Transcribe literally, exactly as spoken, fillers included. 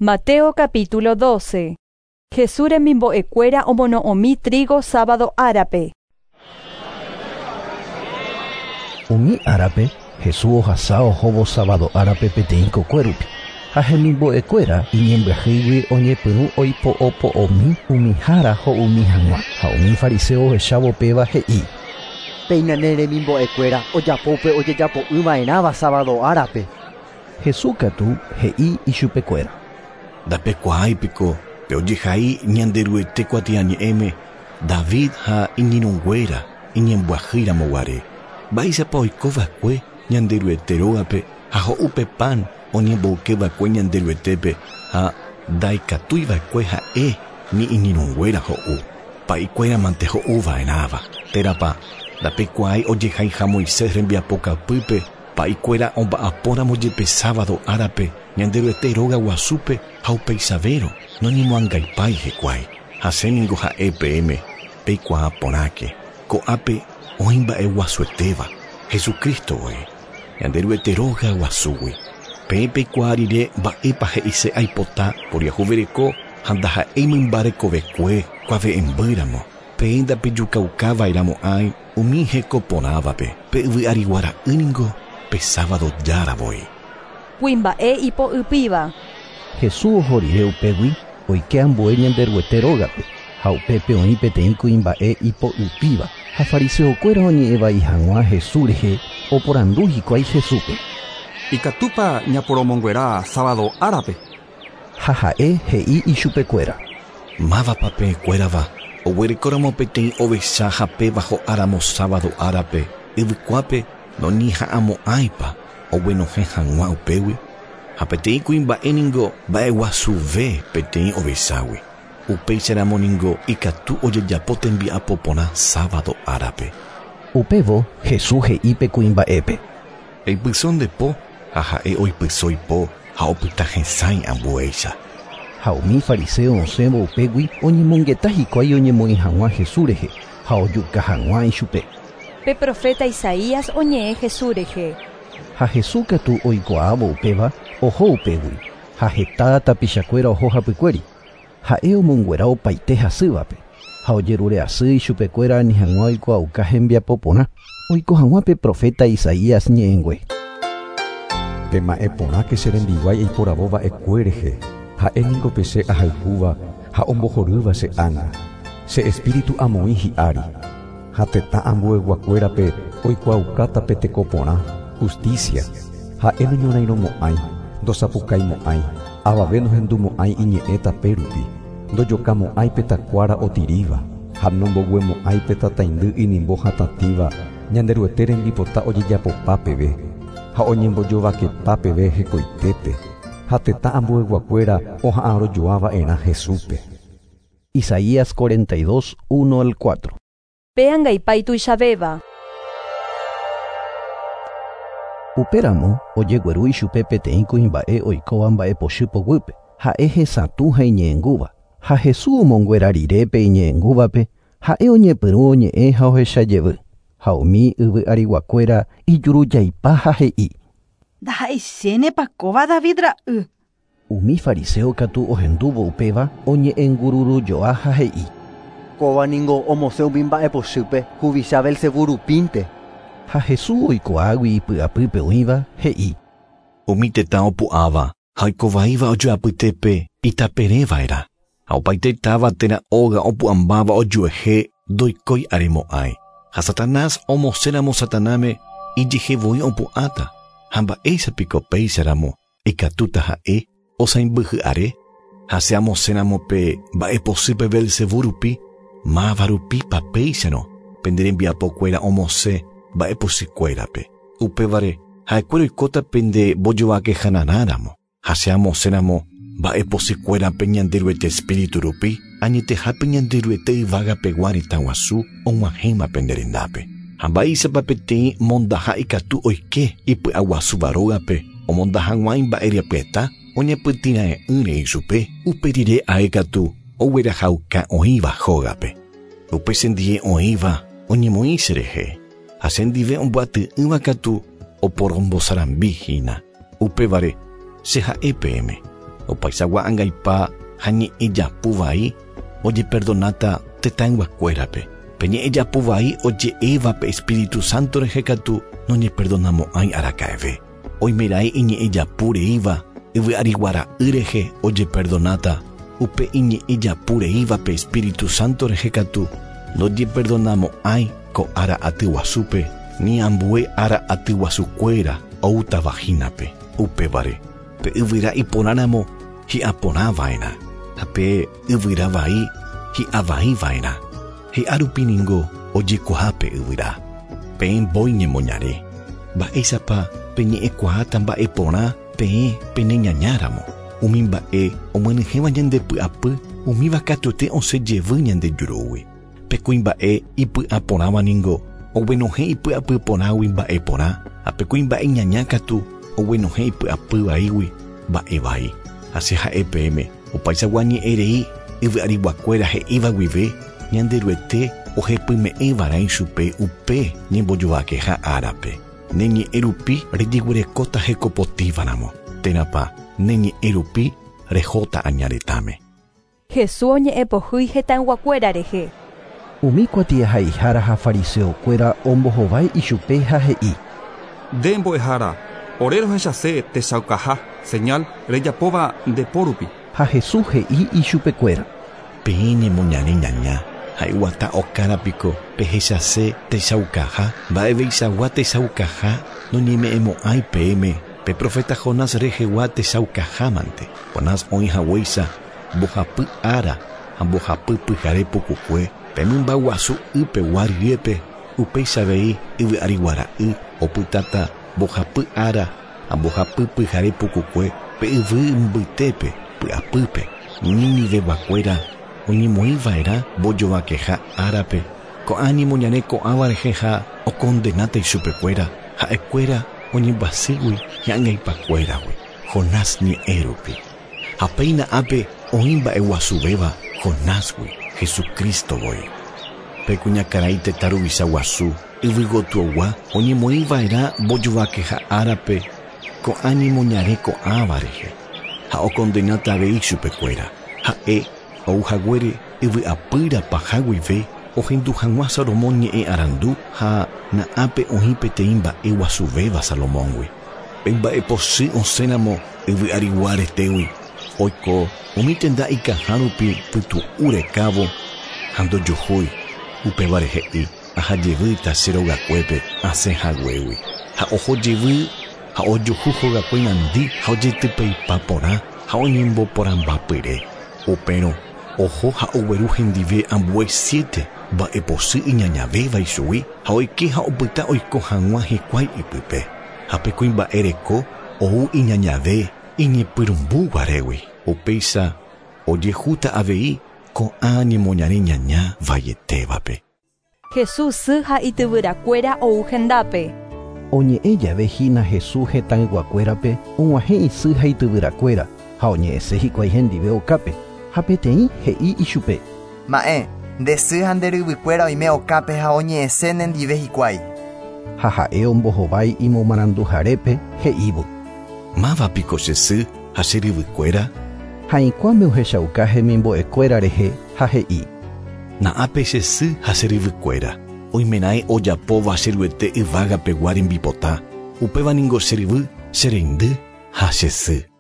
Mateo capítulo doce. Jesús remimbo'ekuéra omono'õmi trigo sábado árape. Umi árape, Jesús ohasa ohóvo sábado árape peteĩ kokuérupi. Ha hemimbo'ekuéra iñembyahýigui oñepyrũ oipo'opo'omi umi hára ho'umi hag̃ua. Ha umi fariseo ohechávo péva he'i: Péina ne remimbo'ekuéra ojapópe ojejapo'ỹva'erãva sábado árape. Jesús katu he'i ichupekuéra: Ndapekuaáipiko pe ojehai Ñanderuete kuatiañe'ẽme David ha iñirũnguéra iñembyahýiramoguare. Mba'éichapa oikova'ekue Ñanderuete rógape ha ho'úpe pan oñemboykeva'ekue Ñanderuetépe ha ndaikatuiva'ekue ha'e ni iñirũnguéra ho'u. Pa'ikuéramante ho'uva'erãva. Térãpa ndapekuaái ojehaiha Moisés rembiapokapýpe pa'ikuéra omba'apóramo jepe sábado árape Ñanderuete róga guasúpe ha upeisavérõ noñemoangaipái hikuái. Hasẽningo ha'e peẽme peikuaa porãke. Ko'ápe oĩ mba'eguasuetéva Jesucristo voi. Ñanderuete róga guasúgui. Peẽ peikuaa rire mba'épa he'ise aipota poriahuvereko ha ndaha'éi mymbarekovekue kuave'ẽmbýramo. Peẽ ndapejukaukava'erãmo'ãi umi hekoporãvape. Pe yvy ariguara'ỹningo pe sábado jára voi. Kuimba'e ipo'ypíva. Jesús oho rire upégui oike ambue Ñanderuete rógape ha upépe oĩ peteĩ kuimba'e ipo'ypíva. Ha fariseokuéra oñe'ẽvai hag̃ua Jesús rehe oporandu hikuái Jesúspe: Ikatúpa ñaporomonguera sábado árape. Ha ha'e he'i ichupekuéra: Mávapa peẽkuérava oguerekóramo peteĩ ovecha hapéva ho'áramo sábado árape yvykuápe noñeha'ãmo'ãipa oguenohẽ hag̃ua upégui. Ha peteĩ kuimba'e ningo mba'eguasuve peteĩ ovechágui. Upéicharamo ningo ikatu ojejapo tembiapo porã sábado árape. Upévo Jesús he'i pe kuimba'épe: Eipyso nde po. Ha ha'e oipyso ipo ha opyta hesãi ambuéicha. Ha umi fariseo osẽvo upégui oñemongeta hikuái oñemoĩ hag̃ua Jesús rehe ha ojuka hag̃ua ichupe. Pe profeta Isaías oñe'ẽ Jesús rehe. Ha Jesús katu oikuaávo upéva oho upégui ha heta tapichakuéra oho hapykuéri. Ha'e omonguera opaite hasývape ha ojerure asy ichupekuéra ani hag̃ua oikuaauka hembiapo porã oiko hag̃ua pe profeta Isaías ñe'ẽngue. Pema'ẽ porãke che rembiguái eiporavóva'ekue rehe. Ha'e ningo pe che ahayhúva ha ombohorýva che ánga. Che espíritu amoĩ hi'ári. Ha tetã ambueguakuérape oikuaukáta pe teko porã, justicia. Ha'e noñorairõmo'ãi, ndosapukaimo'ãi, avave nohendumo'ãi iñe'ẽ tapérupi, ndojokamo'ãi pe takuára otiríva, ha nomboguemo'ãi pe tataindy inimbo hatatĩva Ñanderuete rembipota ojejapopa peve, ha oñembojovakepa peve hekoitépe, ha tetã ambueguakuéra oha'ãrojoava'erã Jesúspe. Isaías cuarenta y dos, uno al cuatro. Pe angaipa ituichavéva. Upéramo ojegueru ichupe peteĩ kuimba'e oikóva mba'epochy poguýpe. Ha'e hesatũ ha iñe'ẽngúva. Ha Jesús omonguera rire pe iñe'ẽngúvape, ha'e oñepyrũ oñe'ẽ ha ohechajevy. Ha umi yvy ariguakuéra ijurujaipa ha he'i: Ndaha'eichénepa kóva David ra'y. Umi fariseo katu ohendúvo upéva oñe'ẽngururujoa ha he'i: Kóva ningo omosẽ umi mba'epochýpe huvicha Belcebú rupínte. Ha Jesús oikuaágui ipy'apýpe oĩva he'i: Umi tetã opu'ãva ha oikovaíva ojoapytépe itapereva'erã. Ha opaite táva térã óga opu'ãmbáva ojuehe ndoikói aremo'ãi. Ha Satanás omosẽramo Satanáme ijehevoi opu'ãta. Ha mba'éichapiko péicharamo ikatúta ha'e osãimbyhy'are. Ha che amosẽramo pe mba'epochýpe Belcebú rupi, máva rupípa péicharõ pende rembiapokuéra omosẽ mba'epochykuérape. Upévare ha'ekuéra oikóta pende mbojovakehanarãramo. Ha che amosẽramo mba'epochykuérape Ñanderuete espíritu rupi, añetehápe Ñanderuete yvágapegua retã guasu og̃uahẽma pende rendápe. Ha mba'éichapa peteĩ mondaha ikatu oike ipy'aguasúva rógape omonda hag̃ua imba'erepyeta oñepytĩra'e'ỹre ichupe. Upe rire ae katu oguerahauka oĩva hógape. Upe chendie oĩva oñemoĩ cherehe. Ha chendive omboaty'ỹva katu oporombosarambihína. Upévare che ha'e peẽme. Opaisagua angaipa ha ñe'ẽ japu vai ojeperdonata tetãyguakuérape. Pe ñe'ẽ japu vai oje'éva pe Espíritu Santo rehe katu noñeperdonamo'ãi araka'eve. Oimeraẽ iñe'ẽ japu reíva yvy'ariguara'y rehe ojeperdonata. Upe iñe'ẽ japu reíva pe Espíritu Santo rehe katu nojeperdonamo'ãi ko ára aty guasúpe ni ambue ára aty guasukuéra oútava hínape. Upévare pe yvyra iporãramo hi'aporãva'erã ha pe yvyra vai hi'avaiva'erã. Hi'a rupi ningo ojekuaa pe yvyra. Peẽ mbói ñemoñare. Mba'éichapa peñe'ẽkuaáta mba'e porã peẽ peneñañáramo. Umi mba'e omyenyhẽva ñandepy'apy umíva katuete osẽ jevy ñande jurúgui. Pe kuimba'e ipy'aporãva ningo oguenohẽ ipy'apy porãgui mba'e porã ha pe kuimba'e ñaña katu oguenohẽ ipy'apy vaígui mba'e vai. Ha che ha'e peẽme opaichagua ñe'ẽ rei yvy'ariguakuéra he'íva guive Ñanderuete ohepyme'ẽva'erã ichupe upe ñembojovakeha árape. Ne ñe'ẽ rupi rejeguerekóta hekopotĩvaramo térãpa ne ñe'ẽ rupi rehóta añaretãme. Jesús oñe'ẽpohýi hetãyguakuéra rehe. Umi kuatiahaihára ha fariseokuéra ombohovái ichupe ha he'i. Nde mbo'ehára, ore rohechase techaukaha, señal rejapóva nde po rupi. Ha Jesús he'i ichupekuéra. Peẽ ñemoñare ñaña ha iguata okárapiko pehechase techaukaha, mba'eveichagua techaukaha noñeme'ẽmo'ãi peẽme pe profeta Jonás rehegua techaukahámante. Jonás oĩ haguéicha mbohapy ára ha mbohapy pyhare pukukue pe mymba guasu ypegua ryépe upéicha avei yvy'ariguara'y opytáta mbohapy ára ha mbohapy pyhare pukukue pe yvy mbytépe py'apýpe. Niniveguakuéra oñemoĩva'erã mbojovakeha árape ko'ã ñemoñare ko'ãva rehe ha okondenáta ichupekuéra ha'ekuéra oñembyasýgui hi'angaipakuéragui Jonás ñe'ẽ rupi. Ha péina ápe oĩ mba'eguasuvéva Jonásgui Jesucristo voi. Pe kuñakarai tetã ruvicha guasu yvygotyogua oñemoĩva'erã mbojovakeha árape ko'ã ñemoñare ko'ãva rehe ha okondenáta avei chupekuéra. Ha'e ouhaguére yvy'apýra paha guive ohendu hag̃ua Salomón ñe'ẽ arandu ha na'ápe oĩ peteĩ mba'e guasuvéva Salomóngui. Pe mba'epochy osẽramo yvy'arigua retégui oiko umi tenda ikaha rupi pytu'u rekávo ha ndojuhúi. Upévare he'i ahajevýta che rogakuépe asẽ haguégui. Ha oho jevy ha ojuhu hogakue nandi ha ojetypeipa porã ha oñemboporãmbapyre. Upérõ oho ha ogueru hendive ambue siete mba'epochy iñañavéva ichugui ha oike ha opyta oiko hag̃ua hikuái ipype. Ha pe kuimba'e reko ou iñañave iñepyrũmbuguarégui. Upéicha ojehúta avei ko'ã ñemoñare ñaña vaietévape. Jesús sy ha ityvyrakuéra ou hendápe. Oñe'ẽ jave hína Jesús hetãyguakuérape og̃uahẽ isy ha ityvyrakuéra ha oñe'ẽse hikuái hendive okápe. Ha peteĩ he'i ichupe. Ma'ẽ, nde sy ha nde ryvykuéra oime okápe ha oñe'ẽse nendive hikuái. Ha ha'e ombohovái imomaranduharépe he'ívo. Mávapiko che sy ha che ryvykuéra? Ha ikuãme ohechauka hemimbo'ekuéra rehe ha he'i. Na'ápe che sy ha che ryvykuéra. Oimeraẽ ojapóva che ruete yvágapegua rembipota. Upéva ningo che ryvy, che reindy ha che sy.